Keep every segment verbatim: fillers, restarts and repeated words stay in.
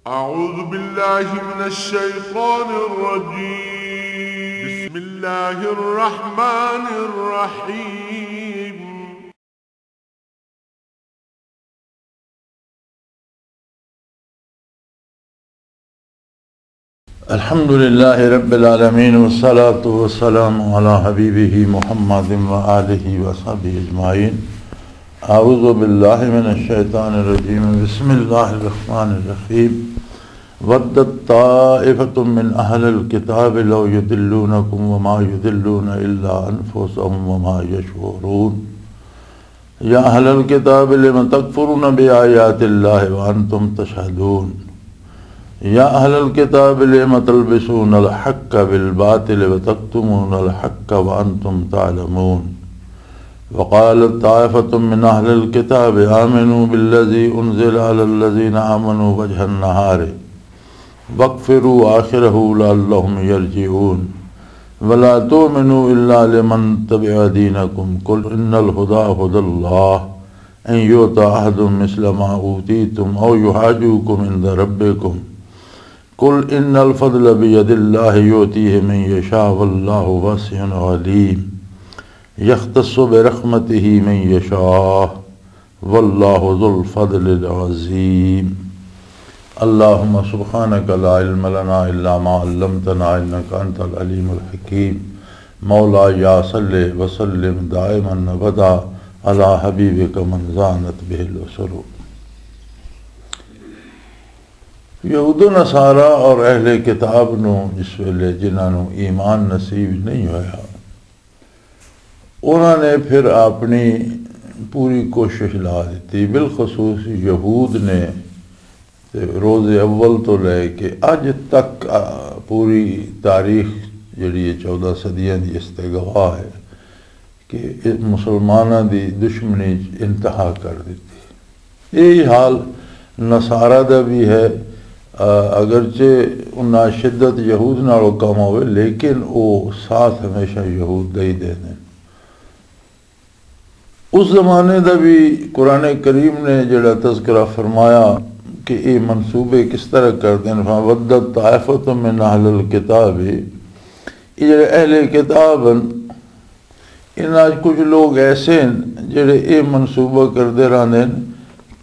أعوذ بالله من الشيطان الرجيم. بسم الله الرحمن الرحيم. الحمد لله رب العالمين، والصلاة والسلام على حبيبه محمد وآله وصحبه أجمعين. أعوذ بالله من الشيطان الرجيم. بسم الله الرحمن الرحيم. ودت طائفة من أهل الكتاب لو يضلونكم وما يضلون إلا أنفسهم وما يشعرون. يا أهل الكتاب لم تكفرون بآيات الله وأنتم تشهدون. يا أهل الكتاب لم تلبسون الحق بالباطل وتكتمون الحق وأنتم تعلمون. وقالت طائفة من أهل الكتاب آمنوا بالذي أنزل على الذين آمنوا وجه النهار واكفروا آخره لعلهم يرجعون. ولا تؤمنوا إلا لمن تبع دينكم. قل إن الهدى هدى الله أن يؤتى أحد مثل ما أوتيتم أو يحاجوكم عند ربكم. قل إن الفضل بيد الله يؤتيه من يشاء والله واسع عليم. يختص برحمته من يشاء والله ذو الفضل العظيم. اللهم سبحانك لا علم لنا إلا ما علمتنا إنك أنت العليم الحكيم. مولاي صل وسلم دائما أبدا على حبيبك من زانت به الأسر. یہود و نصارہ اور اہل کتاب نو جس ویلے جنہاں نو ایمان نصیب نہیں ہویا، انہاں نے پھر اپنی پوری کوشش لا دتی، بالخصوص یہود نے۔ تے روز اول تو لے کے اج تک، آ، پوری تاریخ جڑی ہے چودہ صدیاں دی اس تے گواہ ہے کہ اس مسلماناں دی دشمنی انتہا کر دتی۔ یہی حال نصارہ دا بھی ہے۔ آ، اگرچہ انہاں شدت یہود نالوں کم ہوئے، لیکن او ساتھ ہمیشہ یہود دا ہی دے دین۔ اس زمانے دا بھی قرآن کریم نے جڑا تذکرہ فرمایا کہ یہ منصوبے کس طرح کر دین، فَوَدَّتْ طَائِفَةٌ مِّنْ أَهْلِ الْكِتَابِ، یہ جڑے اہل کتاب ہیں، انہاں وچ کچھ لوگ ایسے ہیں جڑے یہ منصوبہ کردے رہندے ہیں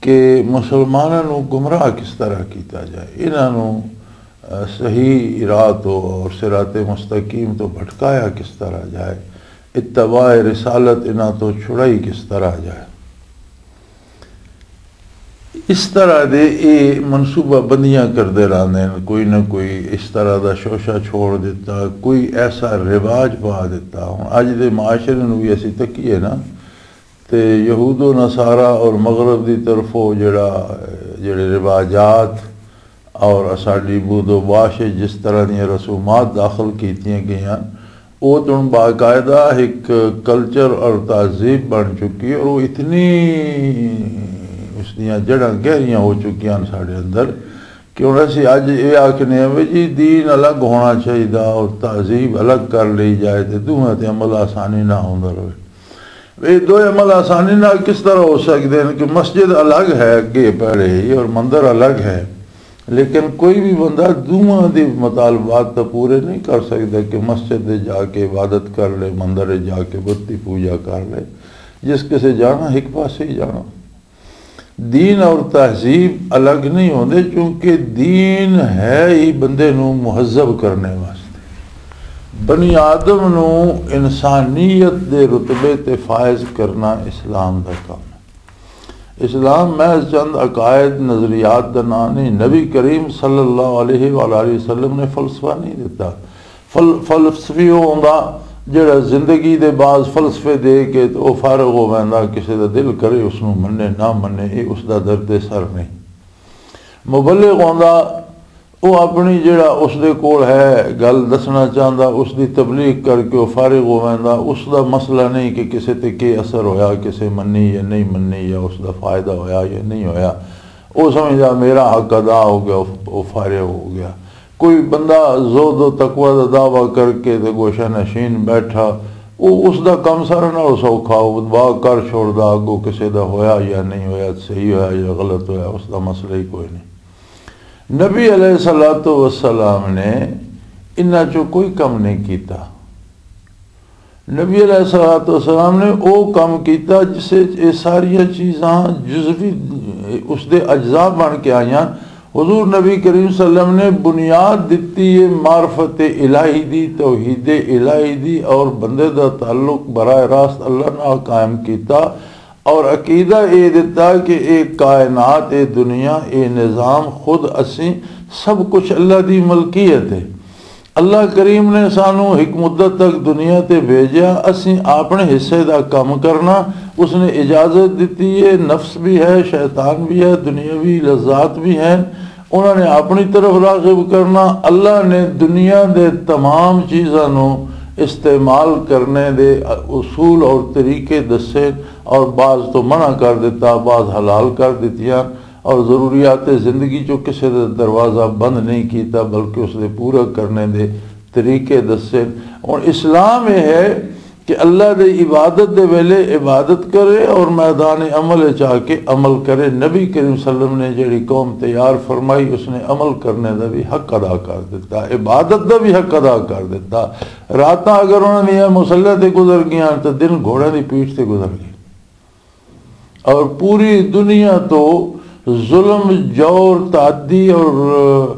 کہ مسلماناں نوں گمراہ کس طرح کیتا جائے، انہاں نوں، آ، صحیح راہ تو اور صراط مستقیم تو بھٹکایا کس طرح جائے، اتباع رسالت انہاں تو چھڑائی کس طرح جائے۔ اس طرح دے اے منصوبہ بندیاں کردے رہندے ہیں، کوئی نہ کوئی اس طرح دا شوشہ چھوڑ دیتا، کوئی ایسا رواج پا دیتا۔ ہن اج دے معاشرے نوں بھی اسی تکیے نا، تے یہود و نصارہ اور مغرب دی طرفوں جڑا، جڑے رواجات اور اساڈی بود و باش وچ جس طرح دیاں رسومات داخل کیتیاں گئیاں، او تن باقاعدہ ایک کلچر اور تہذیب بن چکی ہے، اور وہ اتنی اس دیاں جڑاں گہریاں ہو چکیاں ہیں ساڈے اندر کہ ہن اسی اج یہ آکھنے ہیں بھی جی دین الگ ہونا چاہیے اور تہذیب الگ کر لی جائے تے دوواں تے عمل آسانی نہ ہوندا رہے۔ یہ دو عمل آسانی نال کس طرح ہو سکدے ہیں کہ مسجد الگ ہے اگے پہلے ہی اور مندر الگ ہے، لیکن کوئی بھی بندہ دوواں دے مطالبات تو پورے نہیں کر سکدا کہ مسجد دے جا کے عبادت کر لے، مندر دے جا کے بت دی پوجا کر لے۔ جس کسے جانا ایک پاسے ہی جانا۔ دین اور تہذیب الگ نہیں ہوندے، کیونکہ دین ہے ہی بندے نو مہذب کرنے واسطے۔ بنی آدم نو انسانیت دے رتبے تے فائز کرنا اسلام دا کام ہے۔ اسلام محض چند عقائد، نظریات دا نام نہیں۔ نبی کریم صلی اللہ علیہ وآلہ وسلم نے فلسفہ نہیں دیتا۔ فل-، فلسفی او ہوندا جڑا زندگی دے بعض فلسفے دے کے تے او فارغ ہو ویندا، کسے دا دل کرے اس نو منے نہ منے، اے اس دا درد سر نہیں۔ مبلغ ہوندا او اپنی جڑا اس دے کول ہے گل دسنا چاہندا، اس دی تبلیغ کر کے او فارغ ہو ویندا، اس دا مسئلہ نہیں کہ کسے تے کی اثر ہویا، کسے منی یا نہیں منی، یا اس دا فائدہ ہویا یا نہیں ہویا۔ او سمجھدا میرا حق ادا ہو گیا، او فارغ ہو گیا۔ کوئی بندہ زہد و تقوی دا دعویٰ کر کے تے گوشہ نشین بیٹھا، او اس دا کم سارا نال سوکھا، او دعا کر چھوڑدا، اگوں کسے دا ہویا یا نہیں ہویا، صحیح ہویا یا غلط ہویا، اس دا مسئلہ ہی کوئی نہیں۔ نبی علیہ الصلوۃ والسلام نے انہاں چوں کوئی کم نہیں کیتا۔ نبی علیہ الصلوۃ والسلام نے او کم کیتا جس وچ یہ ساریاں چیزاں جزوی، اس دے اجزاء بن کے آئیاں۔ حضور نبی کریم صلی اللہ علیہ وسلم نے بنیاد دتی ہے معرفت الہی دی، توحید الہی دی، اور بندے دا تعلق براہ راست اللہ نال قائم کیتا۔ اور عقیدہ اے دتا کہ اے کائنات، اے دنیا، اے نظام خود اسیں سب کچھ اللہ دی ملکیت ہے۔ اللہ کریم نے سانو ایک مدت تک دنیا تے بھیجیا، اسیں اپنے حصے دا کم کرنا، اس نے اجازت دتی ہے، نفس بھی ہے، شیطان بھی ہے، دنیاوی لذات بھی ہیں، انہاں نے اپنی طرف راغب کرنا۔ اللہ نے دنیا دے تمام چیزاں نو استعمال کرنے دے اصول اور طریقے دسے، اور بعض تو منع کر دیتا، بعض حلال کر دتیاں، اور ضروریات زندگی چوں کسے دا دروازہ بند نہیں کیتا، بلکہ اس دے پورا کرنے دے طریقے دسے۔ اور اسلام یہ ہے کہ اللہ دی عبادت دے ویلے عبادت کرے اور میدان عمل وچ آ کے عمل کرے۔ نبی کریم صلی اللہ علیہ وسلم نے جڑی قوم تیار فرمائی، اس نے عمل کرنے دا بھی حق ادا کر دیتا، عبادت دا بھی حق ادا کر دیتا۔ راتاں اگر انہاں دیاں مصلے تے گزر گیاں تو دن گھوڑے دی پیٹھ تے گزر گئے۔ اور پوری دنیا تو ظلم، جور، تعدی اور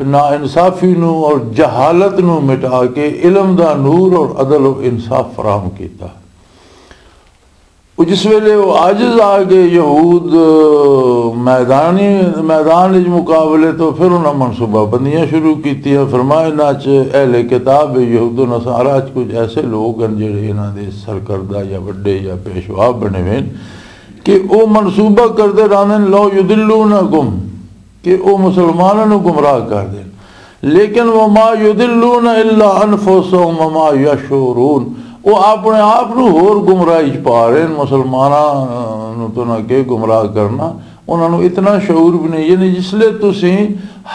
ناانصافی نو اور جہالت نو مٹا کے علم دا نور اور عدل و انصاف فراہم کیتا۔ وہ جس ویلے وہ عاجز آ گئے یہود میدانی، میدان وچ مقابلے تو، پھر انہاں منصوبہ بندیاں شروع کیتیاں۔ فرمایا، انہاں چ اہل کتاب یہود و نصارا چ کچھ ایسے لوگ ہیں جڑے انہاں دے سرکردہ یا وڈے یا پیشوا بنے ہوئے ہیں کہ او منصوبہ کردے رہندے نے، لو یدلونکم، کہ او مسلماناں نوں گمراہ کر دین۔ لیکن وما یدلون الا انفسهم وما یشعرون، او اپنے آپ نوں ہور گمراہی چ پا رہے ہیں۔ مسلماناں نوں تو نہ کہ گمراہ کرنا، انہاں نوں اتنا شعور بھی نہیں۔ یعنی جس لے تسی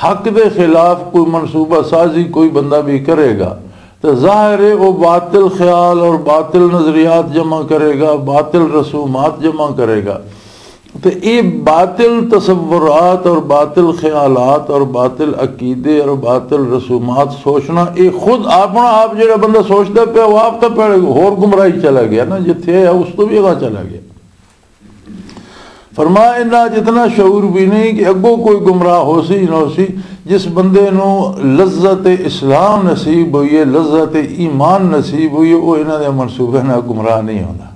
حق دے خلاف کوئی منصوبہ سازی کوئی بندہ بھی کرے گا، تو ظاہر ہے وہ باطل خیال اور باطل نظریات جمع کرے گا، باطل رسومات جمع کرے گا۔ تو یہ باطل تصورات اور باطل خیالات اور باطل عقیدے اور باطل رسومات سوچنا، یہ خود اپنا آپ جڑا بندہ سوچدا پیا، وہ آپ تو پہلے ہور گمراہی چلا گیا نا، جتھے ہے اس تو بھی اگاں چلا گیا۔ فرمایا، انہاں جتنا شعور بھی نہیں کہ اگوں کوئی گمراہ ہو سی نہ ہو سی۔ جس بندے نو لذت اسلام نصیب ہوئی ہے، لذت ایمان نصیب ہوئی ہے، وہ انہاں دے منصوبے نال گمراہ نہیں ہوندا۔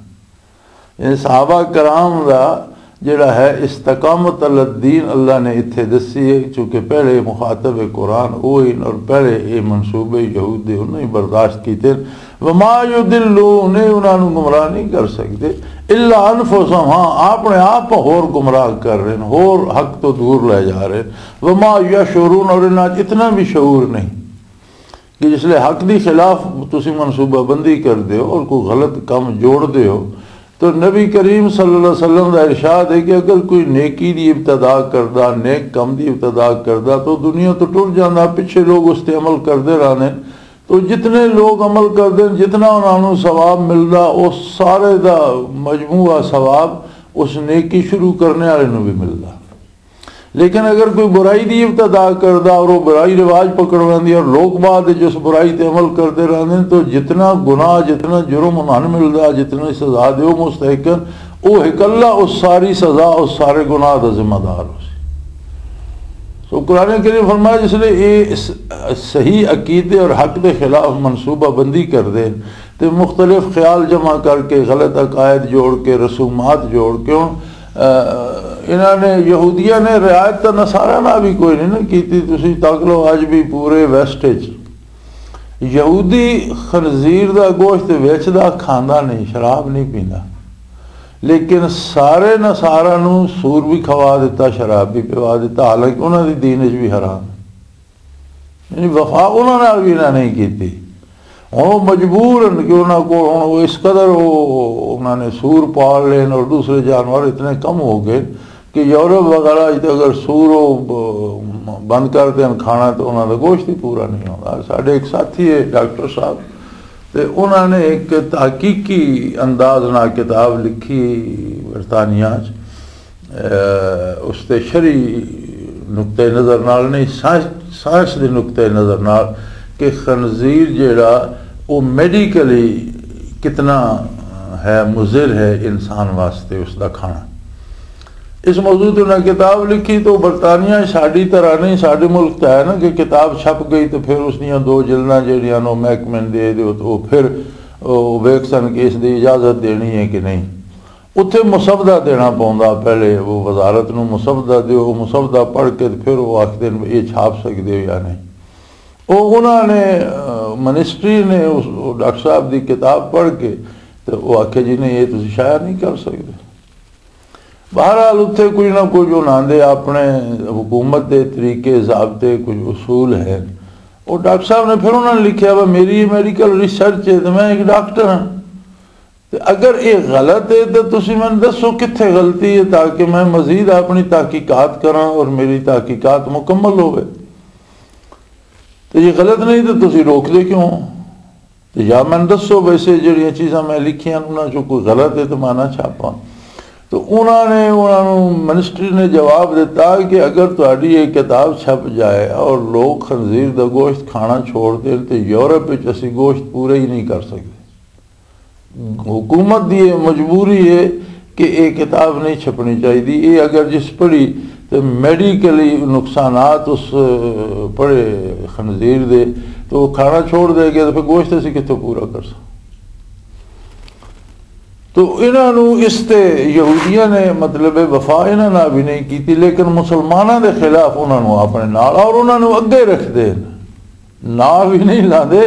یعنی صحابہ کرام دا جڑا ہے استقامت علی الدین اللہ نے اتھے دسی ہے، چونکہ پہلے مخاطب قرآن وہ ہیں اور پہلے یہ منصوبے یہود دے انہوں ہی برداشت کیتے ہیں۔ وما یضلون، انہاں نوں گمراہ نہیں کر سکتے، الا انفسهم، ہاں اپنے آپ ہور گمراہ کر رہے ہیں، ہور حق تو دور لے جا رہے ہیں۔ وما یشعرون، اور انہاں چ اتنا بھی شعور نہیں کہ جس لے حق دی خلاف تسی منصوبہ بندی کر دیو اور کوئی غلط کم جوڑ دیو، تو نبی کریم صلی اللہ علیہ وسلم دا ارشاد ہے کہ اگر کوئی نیکی دی ابتدا کردا، نیک کم دی ابتدا کردا، تو دنیا تو ٹر جاندا، پچھے لوگ اس تے عمل کردے رہنے۔ تو جتنے لوگ عمل کردے ہیں، جتنا انہاں نوں ثواب ملدا، او سارے دا مجموعہ ثواب اس نیکی شروع کرنے والے نوں بھی ملدا۔ لیکن اگر کوئی برائی دی ابتدا کردا اور وہ برائی رواج پکڑ لیندی اور لوگ بعد وچ اس برائی تے عمل کردے رہندے ہیں، تو جتنا گناہ، جتنا جرم انہاں نوں ملدا، جتنی سزا دے او مستحق ہیں، او اکلا اس ساری سزا، اس سارے گناہ دا ذمہ دار ہو سی۔ سو قرآن کریم فرمایا، جس لے اے س-، صحیح عقیدے اور حق دے خلاف منصوبہ بندی کر دے تے مختلف خیال جمع کر کے، غلط عقائد جوڑ کے، رسومات جوڑ کے، ہن، آ، انہاں نے، یہودیاں نے رعایت تاں نصاریٰ نال بھی کوئی نہیں نا کیتی۔ تسی تک لو، اج بھی پورے ویسٹ وچ یہودی خنزیر دا گوشت ویچدا، کھاندا نہیں، شراب نہیں پیندا، لیکن سارے نصاریٰ نوں سور بھی کھوا دیتا، شراب بھی پوا دیتا، حالانکہ انہاں دی دین وچ بھی حرام ہے۔ یعنی وفا انہاں نال بھی انہاں نہیں کیتی۔ ہن وہ مجبور ہیں کہ انہاں کو ہن وہ اس قدر وہ انہاں نے سور پال لین اور دوسرے جانور اتنے کم ہو گئے کہ یورپ وغیرہ وچ اگر سور وہ ب-، بند کر دین کھانا تو انہاں دا گوشت ہی پورا نہیں ہوتا۔ ساڈے ایک ساتھی ہے ڈاکٹر صاحب، تے انہاں نے ایک تحقیقی انداز نال کتاب لکھی برطانیہ چ، اے، اس تے شرعی نقطۂ نظر نال نہیں، سائنس، سائنس دے نقطۂ نظر نال کہ خنزیر جیڑا، وہ میڈیکلی کتنا ہے، مضر ہے انسان واسطے اس دا کھانا۔ اس موضوع تے انہاں کتاب لکھی۔ تو برطانیہ ساڈی طرح نہیں، ساڈے ملک تے ہے نا کہ کتاب چھپ گئی تو پھر اس دیاں دو جلداں جیڑیاں نو محکمے نے دے دیو، تو وہ پھر وہ ویکھ سن کہ اس دی اجازت دینی ہے کہ نہیں۔ اتھے مسودہ دینا پوندا، پہلے وہ وزارت نو مسودہ دیو، وہ مسودہ پڑھ کے تے پھر وہ آکھدے نے یہ چھاپ سکدے ہو یا نہیں۔ وہ انہاں نے، آ، منسٹری نے اس، وہ ڈاکٹر صاحب دی کتاب پڑھ کے تے وہ آکھیا، "جی نہیں، یہ تسی شائع نہیں کر سکدے۔" بہرحال اتھے کچھ نہ کچھ انہاں دے اپنے حکومت دے طریقے، ضابطے، کچھ اصول ہیں۔ وہ ڈاکٹر صاحب نے پھر انہاں نے لکھیا، "وہ میری میڈیکل ریسرچ ہے تو میں ایک ڈاکٹر ہاں۔" تے اگر یہ غلط ہے تو تسی مینوں دسو کتھے غلطی ہے، تاکہ میں مزید اپنی تحقیقات کراں اور میری تحقیقات مکمل ہوئے۔ تے یہ غلط نہیں تو تسی روک دے کیوں؟ تے یا مینوں دسو، ویسے جڑیاں چیزاں میں لکھیاں انہاں چوں کوئی غلط ہے تو میں نہ چھاپاں۔ تو انہاں نے، انہاں نوں منسٹری نے جواب دیتا کہ اگر تہاڈی یہ کتاب چھپ جائے اور لوگ خنزیر دا گوشت کھانا چھوڑ دین تے یورپ وچ اسی گوشت پورا ہی نہیں کر سکدے۔ حکومت دی یہ مجبوری ہے کہ یہ کتاب نہیں چھپنی چاہیے۔ یہ اگر جس پڑھی تو میڈیکلی نقصانات اس پڑھے خنزیر دے، تو وہ کھانا چھوڑ دے گا، تو پھر گوشت اسی کتوں پورا کر سکتے؟ تو انہاں نوں اس تے یہودیاں نے، مطلب ہے، وفا انہاں نال بھی نہیں کیتی، لیکن مسلماناں دے خلاف انہاں نوں اپنے نال اور انہاں نوں اگے رکھ دے۔ ناں وی نہیں لاندے۔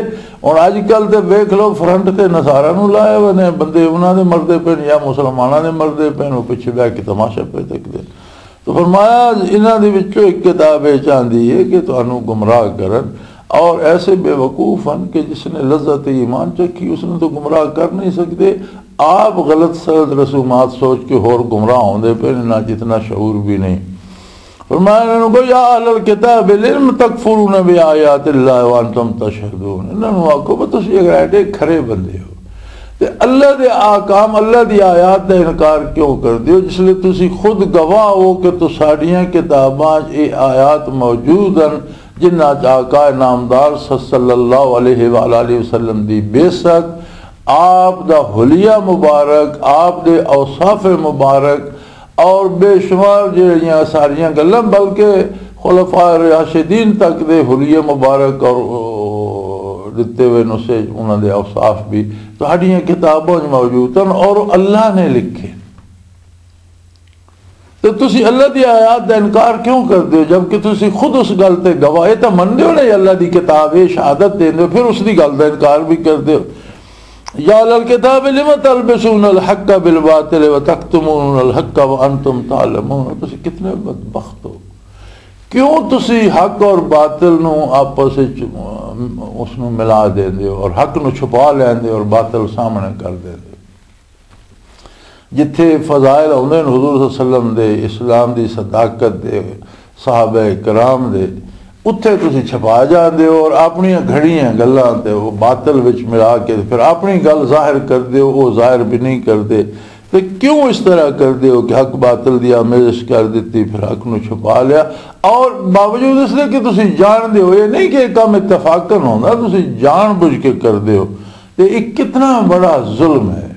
ہن اج کل تے ویکھ لو، فرنٹ تے نصاریاں نوں لائے ہوئے نے، بندے انہاں دے مردے پے نے یا مسلماناں دے مردے پے نے، وہ پچھے بہ کے تماشا پہ تکدے۔ تو فرمایا، انہاں دے وچوں ایک کتاب یہ چاہندی ہے کہ تانوں گمراہ کرن، اور ایسے بے وقوف ہن کہ جس نے لذت ایمان چکھی، اس نے تو گمراہ کر نہیں سکتے۔ آپ غلط سلط رسومات سوچ کے ہور گمراہ ہوندے پے نے، نہ جتنا شعور بھی نہیں۔ فرمایا انہاں نوں، "یا اہل الکتاب، لم تکفرون بآیات اللہ وانتم تشہدون۔" انہاں نوں آکھو، "بس تسی اگر ایڈے کھرے بندے ہو تے اللہ دے احکام، اللہ دی آیات دا انکار کیوں کر دیو، جس لئے تسی خود گواہ ہو کہ تساڈیاں کتاباں 'چ اے آیات موجود ہن، جنہاں 'چ آقا نامدار صلی اللہ علیہ وآلہ وسلم دی بعثت، آپ دا حلیہ مبارک، آپ دے اوصاف مبارک اور بے شمار جہڑیاں ساریاں گلاں، بلکہ خلفاء راشدین تک دے حلیے مبارک اور، او، دتے ہوئے نسخے، انہاں دے اوصاف بھی تہاڈیاں کتاباں وچ موجود ہن اور اللہ نے لکھے۔ تے تسی اللہ دی آیات دا انکار کیوں کردے ہو، جبکہ تسی خود اس گل تے گواہ، اے تاں مندے ہو نا، اللہ دی کتاب، اے شہادت دیندے ہو، پھر اس دی گل دا انکار بھی کردے ہو۔ یا اہل الکتاب، لم تلبسون الحق بالباطل وتکتمون الحق وانتم تعلمون۔ تسی کتنے بدبخت ہو۔ کیوں تسی حق اور باطل نو آپس وچ، اس نو ملا دیندے ہو اور حق نو چھپا لیندے ہو اور باطل سامنے کر دیندے ہو؟ جتھے فضائل آوندے نے حضور صلی اللہ علیہ وسلم دے، اسلام دی صداقت دے، صحابہ کرام دے، اتھے تسی چھپا جاندے ہو اور اپنیاں گھڑیاں گلاں تے وہ باطل وچ ملا کے پھر اپنی گل ظاہر کردے ہو، وہ ظاہر بھی نہیں کردے۔ تے کیوں اس طرح کردے ہو کہ حق باطل دی آمیزش کر دتی، پھر حق نو چھپا لیا؟ اور باوجود اس دے کہ تسی جان دے ہو، یہ نہیں کہ یہ کام اتفاقاً ہوندا، تسی جان بوجھ کے کردے ہو۔ تے یہ کتنا بڑا ظلم ہے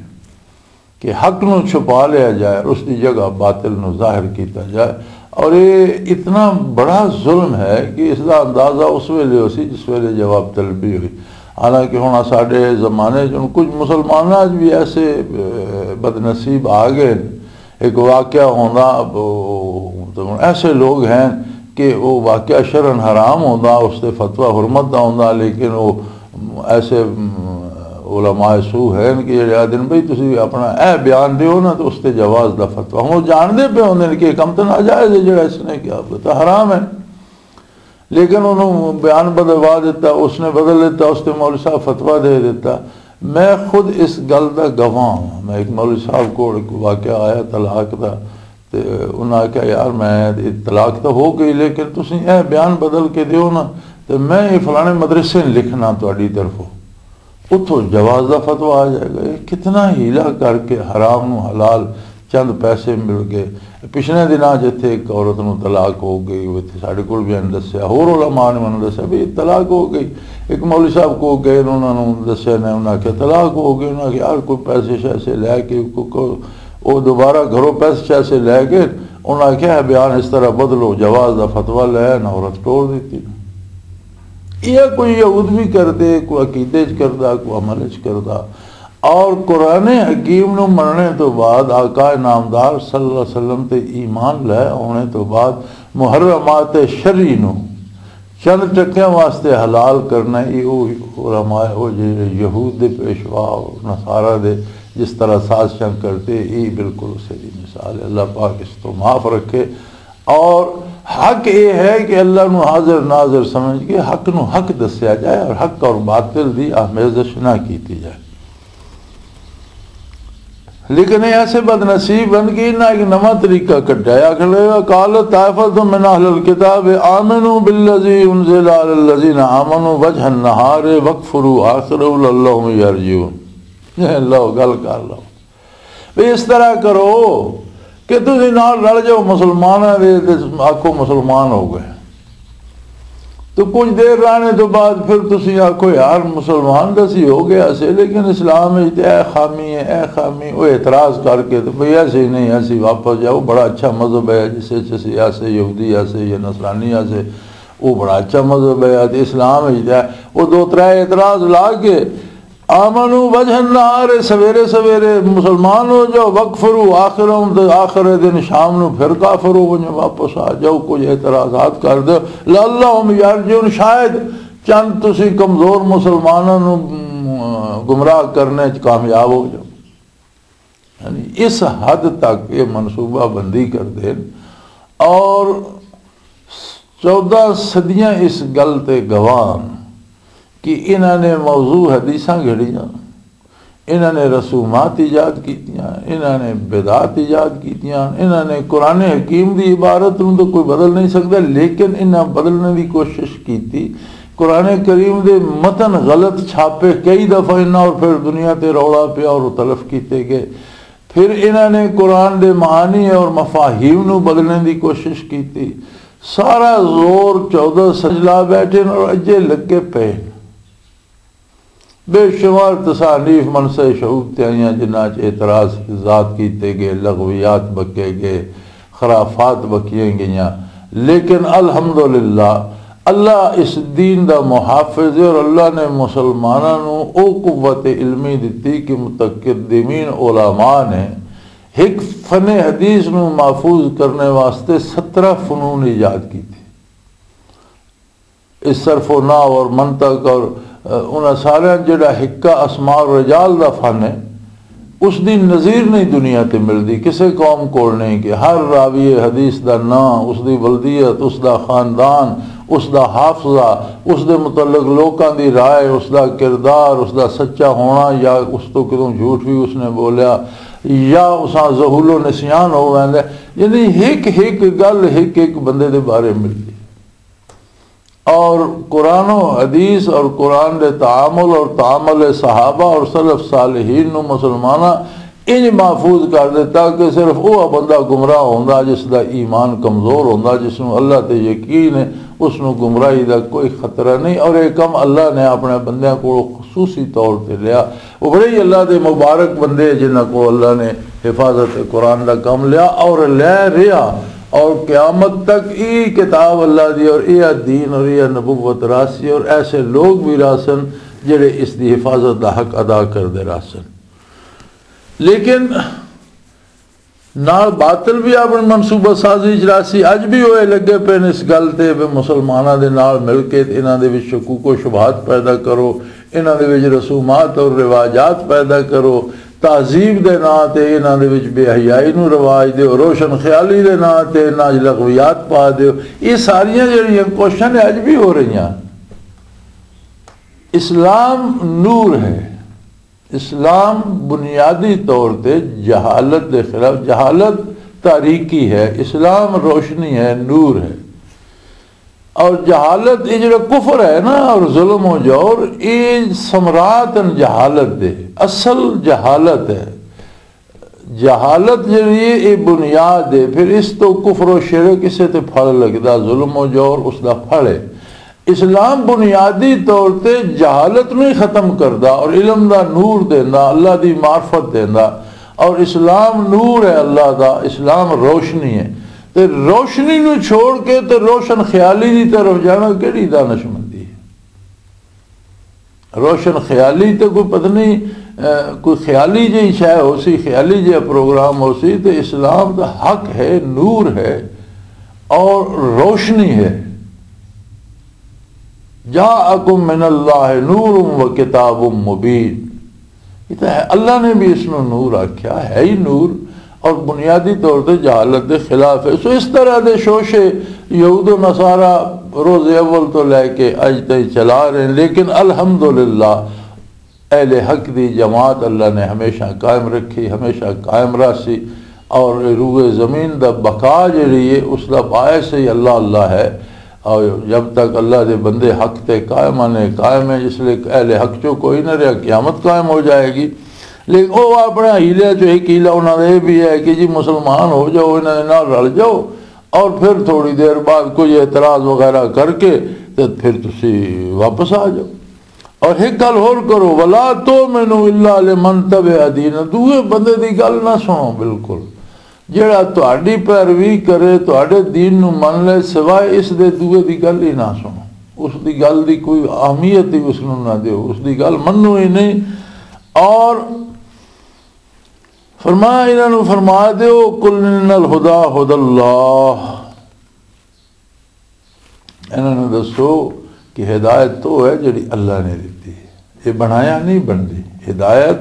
کہ حق نو چھپا لیا جائے اور اس دی جگہ باطل نو ظاہر کیتا جائے۔ اور یہ اتنا بڑا ظلم ہے کہ اس دا اندازہ اس ویلے ہو سی جس ویلے جواب طلبی ہوئی۔ حالانکہ ہن ساڈے زمانے چ ہن کچھ مسلماناں چ بھی ایسے، اے، بدنصیب آ گئے۔ ایک واقعہ ہوندا، او، تو ہن ایسے لوگ ہیں کہ وہ واقعہ شرعاً حرام ہوندا، اس تے فتویٰ حرمت دا ہوندا، لیکن وہ ایسے، ام، علماء سو ہیں کہ جڑے آدھے نے، "بھئی، تسی اپنا اے بیان دیو نا، تو اس تے جواز دا فتویٰ۔" ہن وہ جانتے پے ہوندے نے کہ یہ کم تو ناجائز ہے، جڑا اس نے کیا، وہ تو حرام ہے، لیکن انہوں بیان بدلوا دیتا، اس نے بدل دیتا، اس تے مولوی صاحب فتویٰ دے دیتا۔ میں خود اس گل دا گواہ ہوں۔ میں ایک مولوی صاحب کو ایک واقعہ آیا طلاق دا، تے انہاں آکھیا، "یار، میں، طلاق تاں ہو گئی، لیکن تسی اے بیان بدل کے دیو نا، تے میں اے فلانے مدرسے نوں لکھنا تہاڈی طرفوں، اتھوں جواز دا فتویٰ آ جائے گا۔" یہ کتنا ہیلا کر کے حرام نو حلال چند پیسے مل گئے۔ پچھلے دناں جتھے ایک عورت نوں طلاق ہو گئی، وہ اتھے ساڈے کول بھی انہاں دسیا، ہور علماء نے مینوں دسیا بھی طلاق ہو گئی۔ ایک مولوی صاحب کو گئے، انہاں نوں دسیا نے، انہاں آکھیا طلاق ہو گئی۔ انہاں آکھیا، "یار، کوئی پیسے شیسے لے کے کو-، کو-، او دوبارہ گھروں پیسے شیسے لے کے۔" انہاں آکھیا، "ہے بیان اس طرح بدلو، جواز دا فتویٰ لے نہ عورت ٹور دیتی۔" یہ کوئی یہود بھی کردے، کوئی عقیدے چ کردا، کوئی عمل چ کردا۔ اور قرآن حکیم نو مننے تو بعد، آقا نامدار صلی اللہ علیہ وسلم تے ایمان لے آنے تو بعد، محرمات شرعی نو چند ٹکیاں واسطے حلال کرنا، یہ وہ علماء، وہ جو یہود دے پیشوا اور نصارہ دے جس طرح سازشاں کرتے، یہ بالکل اسی دی مثال ہے۔ اللہ پاک اس تو معاف رکھے۔ اور حق یہ ہے کہ اللہ نو حاضر ناظر سمجھ کے حق نو حق دسیا جائے اور حق اور باطل دی آمیزش نہ کیتی جائے۔ لیکن یہ ایسے بد نصیب ہیں کہ انہاں ایک نواں طریقہ کڈیا ہے۔ آخر قال طائفۃ من اہل الکتاب آمنوا بالذی انزل علی الذین آمنوا وجہ النہار واکفروا آخرہ لعلہم یرجعون۔ یہ لو، گل کر لو۔ بھی اس طرح کرو کہ تسی نال رل جاؤ مسلماناں دے تے آکھو مسلمان ہو گئے۔ تو کچھ دیر رہنے تو بعد پھر تسی آکھو، "یار، مسلمان تو اسی ہو گیا سے، لیکن اسلام وچ تے اے خامی ہے، اے خامی۔" وہ اعتراض کر کے تو بھئی ایسے ہی نہیں، ایسے ہی واپس جاؤ، بڑا اچھا مذہب ہے، جس وچ اسی ایسے یہودی ایسے یا نصرانی ایسے، وہ بڑا اچھا مذہب ہے، تے اسلام وچ تے وہ دو ترے اعتراض لا کے آمنو وجہ النہار، سویرے سویرے مسلمان ہو جاؤ، وکفرو آخرہم، تے آخر دن شام نو پھر کافر ہو جاؤ، واپس آ جاؤ، کچھ اعتراضات کر دو، لعلہم یرجعون، شاید چند تسی کمزور مسلماناں نو، م، گمراہ کرنے چ کامیاب ہو جاؤ۔ یعنی اس حد تک یہ منصوبہ بندی کر دین اور چودہ صدیاں اس گل تے گواہ ہن کہ انہاں نے موضوع حدیثاں گھڑیاں، انہاں نے رسومات ایجاد کیتیاں، انہاں نے بدعات ایجاد کیتیاں، انہاں نے قرآن حکیم دی عبارت نوں تو کوئی بدل نہیں سکدا، لیکن انہاں بدلنے دی کوشش کیتی۔ قرآن کریم دے متن غلط چھاپے کئی دفعہ انہاں اور پھر دنیا تے رولا پیا اور تلف کیتے گئے۔ پھر انہاں نے قرآن دے معانی اور مفاہیم نوں بدلنے دی کوشش کیتی۔ سارا زور چودہ سجلا بیٹھے اور اجے لگے پے۔ بے شمار تصانیف منصع شعوب تے آئیاں، جنہاں چ اعتراض ذات کیتے گئے، لغویات بکے گئے، خرافات بکیاں گئیاں، لیکن الحمدللہ اللہ اس دین دا محافظ ہے اور اللہ نے مسلماناں نوں او قوت علمی دتی کہ متقدمین علماء نے ایک فن حدیث نوں محفوظ کرنے واسطے سترہ فنون ایجاد کیتے۔ اس صرف و نحو اور منطق اور، آ، انہاں سارے جڑا حکا اسماء الرجال دا فن ہے، اس دی نظیر نہیں دنیا تے ملدی، کسے قوم کول نہیں کہ ہر راوی حدیث دا نام، اس دی ولدیت، اس دا خاندان، اس دا حافظہ، اس دے متعلق لوکاں دی رائے، اس دا کردار، اس دا سچا ہونا یا اس تو کدوں جھوٹ بھی اس نے بولیا یا اساں ذہول و نسیان ہو ویندے، یعنی ہک ہک گل ہک ہک بندے دے بارے ملدی۔ اور قرآن و حدیث اور قرآن دے تعامل اور تعامل صحابہ اور سلف صالحین نو مسلماناں انج محفوظ کر دیتا کہ صرف وہ بندہ گمراہ ہوندا جس دا ایمان کمزور ہوندا، جس نو اللہ تے یقین ہے، اس نو گمراہی دا کوئی خطرہ نہیں۔ اور یہ کم اللہ نے اپنے بندیاں کو خصوصی طور تے لیا۔ وہ بڑے ہی اللہ دے مبارک بندے جنہاں کو اللہ نے حفاظت قرآن دا کم لیا اور لے رہا، اور قیامت تک ای کتاب اللہ دی اور ای دین اور ای نبوت راسی، اور ایسے لوگ بھی راسن جڑے اس دی حفاظت دا حق ادا کردے راسن۔ لیکن نال باطل بھی اپنی منصوبہ سازی چ راسی۔ اج بھی ہوئے لگے پے نے اس گل تے بھی مسلماناں دے نال مل کے تے انہاں دے وچ شکوک و شبہات پیدا کرو، انہاں دے وچ رسومات اور رواجات پیدا کرو، تہذیب دے ناں تے انہاں دے وچ بے حیائی نو رواج دیو، روشن خیالی دے ناں تے انہاں وچ لغویات پا دیو۔ یہ ساریاں جڑیاں کوششاں نے اج بھی ہو رہیاں۔ اسلام نور ہے۔ اسلام بنیادی طور تے جہالت دے خلاف، جہالت تاریکی ہے، اسلام روشنی ہے، نور ہے۔ اور جہالت، یہ جڑا کفر ہے نا اور ظلم و جور، یہ ثمرات ہیں جہالت دے، اصل جہالت ہے۔ جہالت جڑی ہے، یہ بنیاد ہے، پھر اس تو کفر و شرک، اسے تے پھل لگدا، ظلم و جور اس دا پھل ہے۔ اسلام بنیادی طور تے جہالت نوں ہی ختم کردا اور علم دا نور دیندا، اللہ دی معرفت دیندا۔ اور اسلام نور ہے اللہ دا، اسلام روشنی ہے۔ تے روشنی نوں چھوڑ کے تے روشن خیالی دی طرف جانا کیڑی دانشمندی ہے؟ روشن خیالی تے کوئی پتہ نہیں، اے، کوئی خیالی جہی شے ہو سی، خیالی جہا پروگرام ہو سی۔ تے اسلام دا حق ہے، نور ہے اور روشنی ہے۔ جاءکم من اللہ نور و کتاب مبین۔ یہ تو ہے، اللہ نے بھی اس نو نور آکھیا ہے، ہی نور، اور بنیادی طور تے جہالت دے خلاف ہے۔ سو اس طرح دے شوشے یہود و نصارہ روز اول تو لے کے اج تائیں چلا رہے ہیں، لیکن الحمدللہ اہل حق دی جماعت اللہ نے ہمیشہ قائم رکھی، ہمیشہ قائم رہسی۔ اور روئے زمین دا بقا جڑی ہے، اس دا باعث ہی اللہ اللہ ہے۔ اور جب تک اللہ دے بندے حق تے قائم آنے، قائم ہیں، اس لیے اہل حق چوں کوئی نہ رہا، قیامت قائم ہو جائے گی۔ لیکن وہ اپنے حیلے چوں ایک حیلہ انہاں دا یہ بھی ہے کہ جی مسلمان ہو جاؤ، انہاں دے نال رل جاؤ، اور پھر تھوڑی دیر بعد کوئی اعتراض وغیرہ کر کے تے پھر تسی واپس آ جاؤ۔ اور ایک گل ہور کرو، ولا تؤمنوا الا لمن تبع دین، دوے بندے دی گل نہ سنو بالکل۔ جیڑا تہاڈی پیروی کرے، تہاڈے دین نو من لے، سوائے اس دے دوے دی گل ہی نہ سنو۔ اس دی گل دی کوئی اہمیت ہی اس نو نہ دیو، اس دی گل منو ہی نہیں۔ اور فرمایا، انہاں نو فرما دیو، قل ان الہدی ہدی اللہ، انہاں نوں دسو کہ ہدایت تو ہے جڑی اللہ نے دتی ہے، یہ بنایا نہیں بندی۔ ہدایت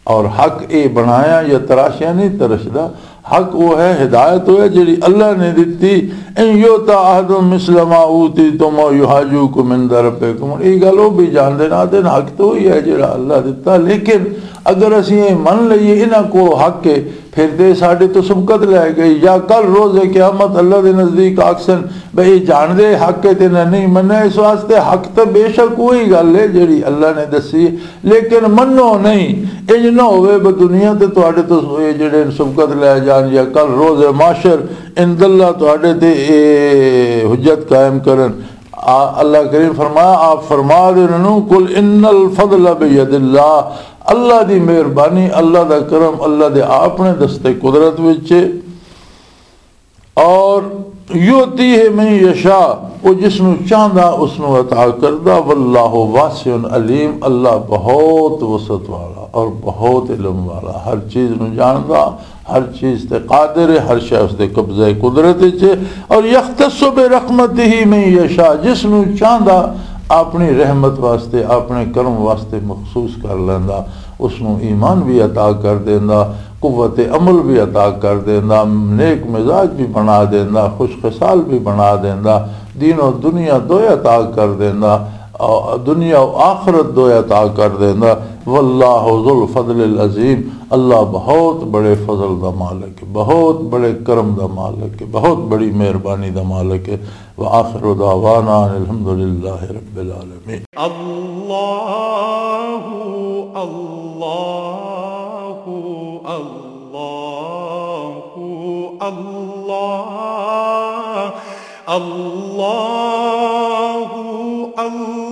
اور حق، یہ بنایا یا تراشیا نہیں ترشدا۔ حق وہ ہے، ہدایت وہ ہے جڑی اللہ نے دتی۔ ان یؤت احد مثل ما اوتیتم او یحاجوکم عند ربکم، یہ گل وہ بھی جاندے نہ دین۔ حق تو وہی ہے جڑا اللہ دتا، لیکن اگر اسی یہ من لئیے انہاں کو حق ہے، پھر تے ساڈے تو سبقت لے گئی، یا کل روز قیامت اللہ دے نزدیک آکسن بھئی یہ جان دے حق ہے تے نہ نہیں منیا۔ اس واسطے حق تے بے شک وہی گل ہے جڑی اللہ نے دسی، لیکن منو نہیں۔ انج نہ ہوئے بھئی دنیا تے تہاڈے تو یہ جڑے سبقت لے جان، یا کل روز محشر عند اللہ تہاڈے تے اے حجت قائم کرن۔ آ، اللہ کریم فرمایا، آپ فرما دے انہاں نوں، قل ان الفضل بید اللہ، اللہ دی مہربانی، اللہ دا کرم، اللہ دے اپنے دستے قدرت وچ ہے۔ اور یؤتی ہے من یشاء، وہ جس نو چاہندا اس نو عطا کردا۔ واللہ واسع علیم، اللہ بہت وسعت والا اور بہت علم والا، ہر چیز نو جاندا، ہر چیز تے قادر ہے، ہر شے اس دے قبضہ قدرت وچ ہے۔ اور یختص برحمتہ من یشاء، جس نو چاہندا اپنی رحمت واسطے، اپنے کرم واسطے مخصوص کر لیندا، اس نو ایمان بھی عطا کر دیندا، قوت عمل بھی عطا کر دیندا، نیک مزاج بھی بنا دیندا، خوش خصال بھی بنا دیندا، دین و دنیا دوئے عطا کر دیندا، آ، دنیا و آخرت دوئے عطا کر دیندا۔ واللہ ذو الفضل العظیم، اللہ بہت بڑے فضل دا مالک ہے، بہت بڑے کرم دا مالک ہے، بہت بڑی مہربانی دا مالک ہے۔ وآخر دعوانا ان الحمدللہ رب العالمین۔ اللہ، اللہ، اللہ، اللہ، اللہ، اللہ۔